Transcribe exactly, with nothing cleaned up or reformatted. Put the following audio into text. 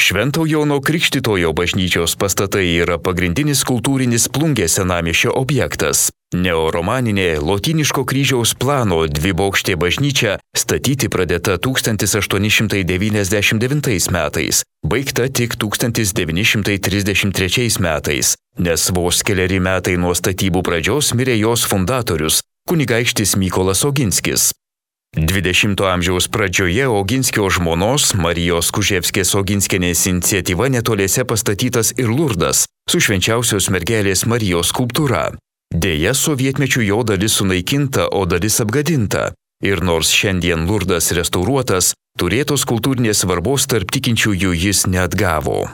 Švento Jono Krikštytojo bažnyčios pastatai yra pagrindinis kultūrinis Plungės senamiesčio objektas. Neoromaninė lotyniško kryžiaus plano dvibokštė bažnyčia statyti pradėta tūkstantis aštuoni šimtai devyniasdešimt devintais metais, baigta tik tūkstantis devyni šimtai trisdešimt trečiais metais, nes vos keleri metai nuo statybų pradžios mirė jos fundatorius, kunigaikštis Mykolas Oginskis. dvidešimto amžiaus pradžioje Oginskio žmonos Marijos Kuževskės Oginskienės iniciatyva netoliese pastatytas ir Lurdas su švenčiausios mergelės Marijos skulptūra. Deja, sovietmečiu jo dalis sunaikinta, o dalis apgadinta. Ir nors šiandien Lurdas restauruotas, turėtos kultūrinės svarbos tarp tikinčiųjų jis neatgavo.